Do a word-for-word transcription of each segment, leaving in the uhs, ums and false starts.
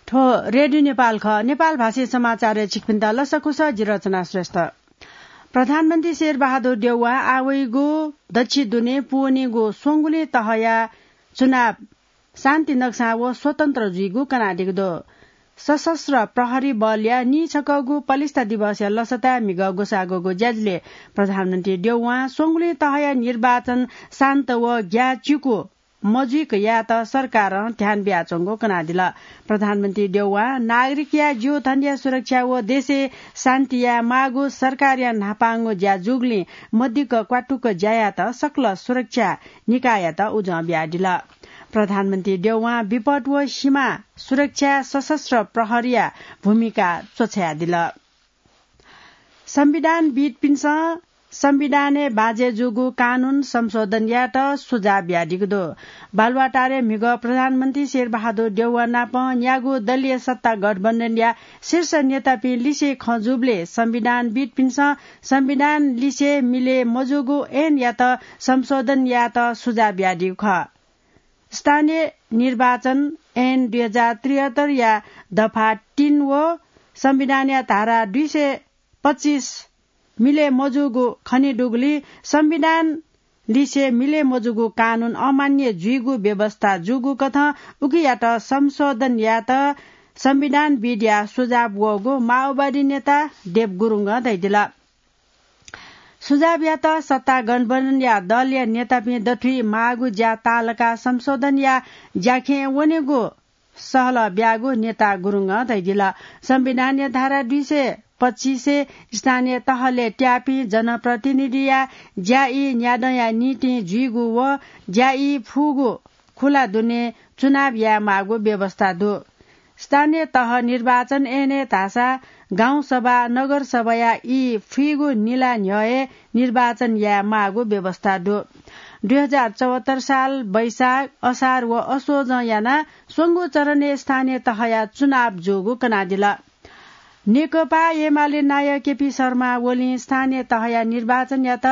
थ्व रेडियो नेपाल खः। नेपाल भाषी समाचारय् छिकपिन्त लसकुस, जि रचना श्रेष्ठ। प्रधानमन्त्री शेरबहादुर देउवां आः वइगु दच्छि दुने पूवनीगु स्वंगुलिं तहया चुनाव शान्ति नक्सां व स्वतन्त्र जुइगु कनादीगु दु। सशस्त्र प्रहरी बलया नीछकःगु पलिस्था दिवसया लसताय् म्हिगः ग्वसाः ग्वःगु ज्याझ्वलय् प्रधानमन्त्री देउवां स्वंगुलिं तहया निर्वाचन शान्त व ग्याःचिकु मजुइक यायेत सरकारं ध्यान बियाच्वंगु कनादिल। प्रधानमन्त्री देउवां नागरिकया ज्यूथनया सुरक्षा व देशय् शान्ति याये माःगु सरकारया न्हापांगु ज्या जूगुलिं मदिक्क क्वातुक ज्या यायेत सकल सुरक्षा निकाययात उजं बियादिल। प्रधानमन्त्री देउवां विपद व सीमा सुरक्षाय् सशस्त्र प्रहरीया भूमिका च्वछायादिल। संविधानविद्पिन्सं संविधानय् बाँझय् जूगु कानून संशोधन यायेत सुझाव बियादीगु दु। बालुवाटारय् म्हिगः प्रधानमन्त्री शेरबहादुर देउवा नाप न्यागू दलीय सत्ता गठबन्धनया शीर्ष नेतापिं लिसे खँ जूबलय् संविधानविद्पिन्सं संविधान लिसे मिले मजूगु ऐनयात संशोधन यायेत सुझाव बियादीगु खः। स्थानीय निर्वाचन ऐन दुई हजार त्रिहत्तरया दफा तीन व संविधानया धारा दुई सय पच्चिस मिले मजूगु खनेदुगुलिं संविधान लिसे मिले मजूगु कानून अमान्य जुइगु व्यवस्था जूगु कथं उकियात संशोधन यायेत संविधानविदया सुझाव वःगु माओवादी नेता देव गुरुङं धयादिल। सुझावयात सत्ता गठबन्धनया दलया नेतापिं दथुइ माःगु ज्या ताःलाकाः संशोधनया ज्याखँय् वनेगु सहलह ब्याःगु नेता गुरुङं धयादिल। संविधानया धारा दुई सय पच्चिसय् स्थानीय तहलय् त्याःपिं जनप्रतिनिधिया ज्या ई न्यादँया निंतिं जुइगु व ज्या ई फुगु खुला दुने चुनाव याये माःगु व्यवस्था दु। स्थानीय तह निर्वाचन ऐनय् धाःसा गाउँसभा, नगरसभाया ई फुइगु निला न्ह्यः हे निर्वाचन याये माःगु व्यवस्था दु। दुई हजार चौहत्तर साल वैशाख, असार व असोजं यानाः स्वंगू चरणय् स्थानीय तहया चुनाव जूगु कनादिल। नेकपा एमाले नायः केपी शर्मा ओलीं स्थानीय तहया निर्वाचनयात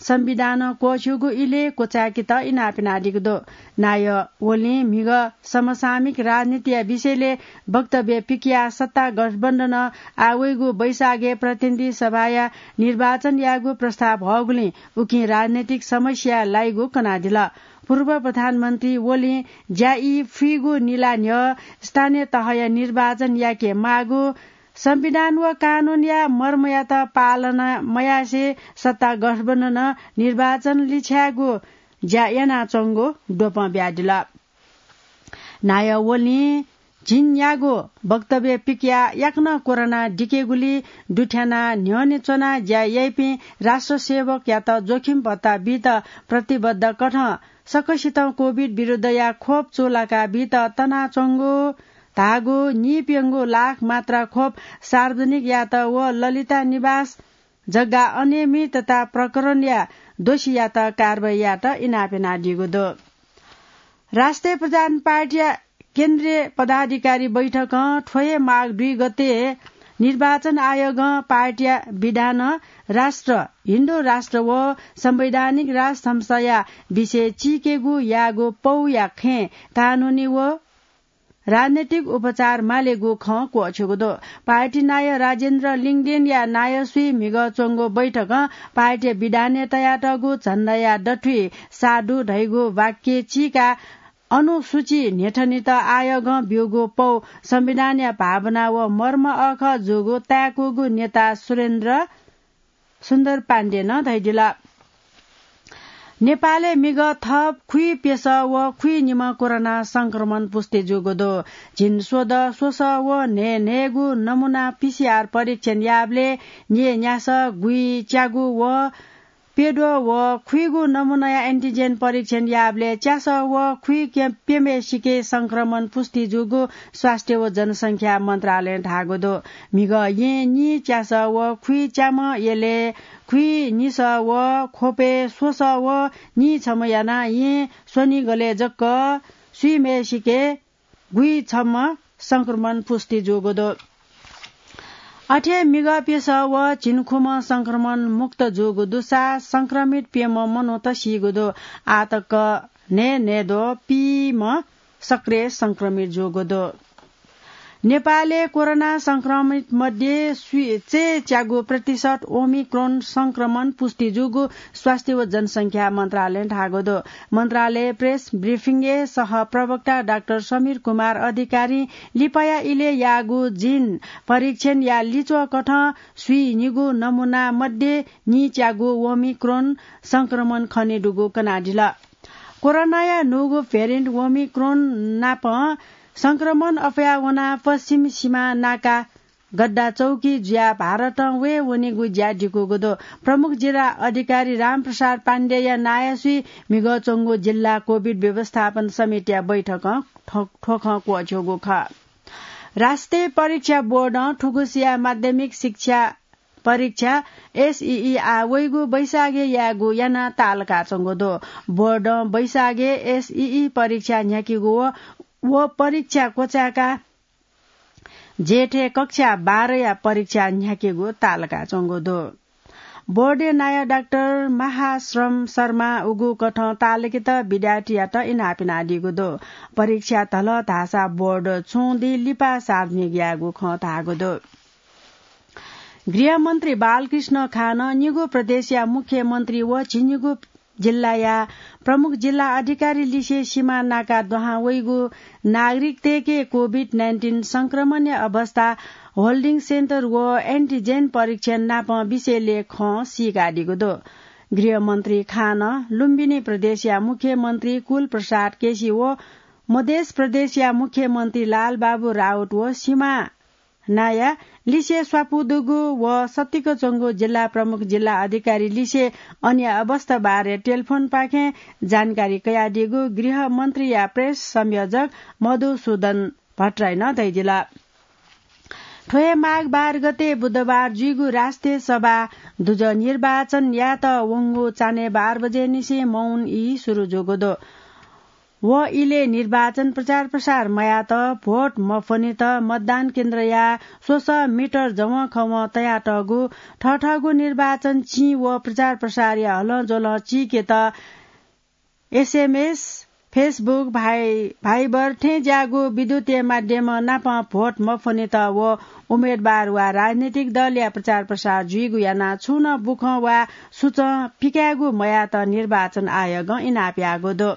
संविधानं क्वःछ्यूगु इलय् क्वचाय्केत इनाप यानादीगु दु। नायः ओलीं म्हिगः समसामयिक राजनीतिया विषयलय् वक्तव्य पिकयाः सत्ता गठबन्धनं आः वइगु वैशाखय् प्रतिनिधि सभाया निर्वाचन यायेगु प्रस्ताव हःगुलिं उकिं राजनैतिक समस्याय् लाइगु कनादिल। पूर्व प्रधानमन्त्री ओलीं ज्या ई फुइगु निला न्ह्यः स्थानीय तहया निर्वाचन याके माःगु, संविधान व कानूनया मर्मयात पालना मयासें सत्ता गठबन्धनं निर्वाचन लिछ्यायेगु ज्या यानाच्वंगु द्वपं बियादिल। नायः ओलीं झिंन्यागू वक्तव्य पिकयाः याकनं कोरोना दिकेगुली दुथ्यानाः न्ह्यःने च्वनाः ज्या याइपिं राष्ट्र सेवकयात जोखिम भत्ता बीत प्रतिबद्धकथं सकसितं कोभिड विरुद्धया खोप चूलाका बीत तनाच्वंगु धाःगु नीप्यंगू लाख मात्रा खोप सार्वजनिक यायेत व ललिता निवास जग्गा अनियमितता प्रकरणया दोषीयात कारवाही यायेत इनाप यानादीगु दु। राष्ट्रिय प्रधान पार्टीया केन्द्रीय पदाधिकारी बैठकं थ्व हे माघ दुई गते निर्वाचन आयोगं पार्टीया विधानं राष्ट्र, हिन्दू राष्ट्र व संवैधानिक राज संस्थाया विषय चीकेगु याःगु पौया खँय् कानूनी व राजनैतिक उपचार मालेगु खँ क्वःछ्यूगु दु। पार्टी नायः राजेन्द्र लिङदेनया नायःसुइ म्हिगः च्वंगु बैठकं पार्टी विधानय् तयातःगु झण्डाया दथुइ साधु धइगु वाक्य चीकाः अनुसूची न्ह्यथनेत आयोगं ब्यूगु पौ संविधानया भावना व मर्म अःखः जूगु ताय्कूगु नेता सुरेन्द्र सुन्दर पाण्डेनं धयादिल। नेपालय् म्हिगः थप खुइप्यसः व खुइनिम्ह कोरोना संक्रमण पुष्टि जूगु दु। झिंस्वदँ स्वसः व न्हय्न्हय्गू नमुना पीसीआर परीक्षण याःबलय् न्यय्न्यासः, गुइच्यागू व प्यद्वः व खुइगू नमुनाया एन्टिजेन परीक्षण याःबलय् च्यासः व खुइप्यम्हेसिके संक्रमण पुष्टि जूगु स्वास्थ्य व जनसंख्या मन्त्रालयं धाःगु दु। म्हिगः येँ नीच्यासः व खुइच्याम्ह, यलय् खुइनिसः व ख्वपय् स्वसः व नीछम्ह यानाः येँ स्वनिगलय् जक स्वीम्हेसिके गुइछम्ह संक्रमण पुष्टि जूगु दु। अथे म्हिगः प्यसः व झिंखुम्ह संक्रमण मुक्त जूगु दुसा संक्रमित प्यम्ह मनूत सीगु दु। आःतक न्हय्न्हय्द्वः पीम्ह सक्रिय संक्रमित जूगु दु। नेपालय् कोरोना संक्रमित मध्ये स्वीच्यागु प्रतिशत ओमिक्रोन संक्रमण पुष्टि जूगु स्वास्थ्य व जनसंख्या मन्त्रालयं धाःगु दु। मन्त्रालय प्रेस ब्रिफिङय् सह प्रवक्ता डाक्टर समीर कुमार अधिकारी लिपाया इलय् याःगु जिन परीक्षणया लिच्वः कथं स्वीनिगू नमूना मध्ये नीच्यागू ओमिक्रोन संक्रमण खनेदुगु कनादिल। कोरोनाया न्हूगु भेरिएन्ट ओमिक्रोन नाप संक्रमण अप्वया वनाः पश्चिम सीमा नाका गद्दा चौकी जुयाः भारतं वये वनीगु ज्या दिकूगु दु। प्रमुख जिल्ला अधिकारी रामप्रसाद पाण्डेया नायःसुइ म्हिगः च्वंगु जिल्ला कोभिड व्यवस्थापन समितिया बैठकं थ्व-, थ्व खँ क्वःछ्यूगु खः। राष्ट्रिय परीक्षा बोर्डं थुगुसिया माध्यमिक शिक्षा परीक्षा एसईई आः वइगु बैशाखय् यायेगु यानाः ताःलाकाच्वंगु दु। बोर्डं बैशाखय् एसईई परीक्षा न्ह्याकेगु व, व परीक्षा क्वचाय्काः जेठय् कक्षा बाह्रया परीक्षा न्ह्याकेगु ताःलाकाच्वंगु दु। बोर्डया नायः डाक्टर महाश्रम शर्मा उगु कथं ताःलाकेत विद्यार्थीयात इनाप यानादीगु दु। परीक्षा धल धाःसा बोर्ड छुं दिं लिपा सार्वजनिक यायेगु खँ धाःगु दु। गृहमन्त्री बालकृष्ण खानं निगू प्रदेशया मुख्यमन्त्री व झिंनिगू जिल्लाया प्रमुख जिल्ला अधिकारी लिसे सीमा नाका दुहां वइगु नागरिकतय्के कोभिड नाइन्टिन संक्रमणया अवस्था, होल्डिङ सेन्टर व एन्टिजेन परीक्षण नापं विषयलय् खँ सीकादीगु दु। गृहमन्त्री खानं लुम्बिनी प्रदेशया मुख्यमन्त्री कुल प्रसाद केसी व मधेस प्रदेशया मुख्यमन्त्री लालबाबु राउत व सीमा नाया लिसे स्वापू दुगु व सत्तिक च्वंगु जिल्ला प्रमुख जिल्ला अधिकारी लिसे अन्य अवस्था बारे टेलिफोनपाखें जानकारी कयादीगु गृहमन्त्रीया प्रेस संयोजक मधुसूदन भट्टराईं धयादिल। थ्व हे माघ बाह्र गते बुधबार जुइगु राष्ट्रिय सभा दुजः निर्वाचन यायेत वंगु चान्हय् बाह्र बजे निसें मौन ई सुरु जूगु दु। व इलय् निर्वाचन प्रचार प्रसार मयात, भोट मफ्वनेत मतदान केन्द्रया स्वसः मिटर जवंखवं तयातःगु थःथःगु निर्वाचन चिं व प्रचार प्रसारया हलंज्वलं चीकेत एसएमएस, Facebook, भाइ-, भाइबर थें ज्याःगु विद्युतीय माध्यम नाप भोट मफ्वनेत व उम्मेदवार वा राजनीतिक दलया प्रचार प्रसार जुइगु यानाः छुं नं बुखँ वा सुचं पिकायेगु मयात निर्वाचन आयोगं इनाप याःगु दु।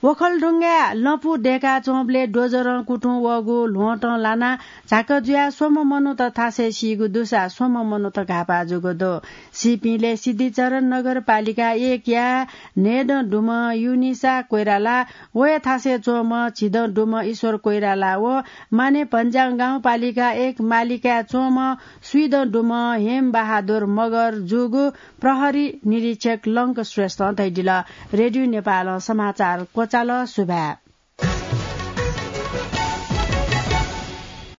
ओखलढुङ्गाय् लँपु दय्काच्वंबलय् डोजरं कुतुं वःगु ल्वहँतं लानाः झाक जुयाः स्वम्ह मनूत थासय् सीगु दुसा स्वम्ह मनूत घाःपाः जूगु दु। सीपिंलय् सिद्धिचरण नगरपालिका एकया न्हय्दँ दुम्ह युनिसा कोइराला, वया थासय् च्वंम्ह झिदँ दुम्ह ईश्वर कोइराला व माने भन्ज्याङ गाउँपालिका एक मालिकाय् च्वंम्ह स्वीदँ दुम्ह हेमबहादुर मगर जूगु प्रहरी निरीक्षक लंक श्रेष्ठं धयादिल। रेडियो नेपालं समाचार क्वचाल। सुभाय्।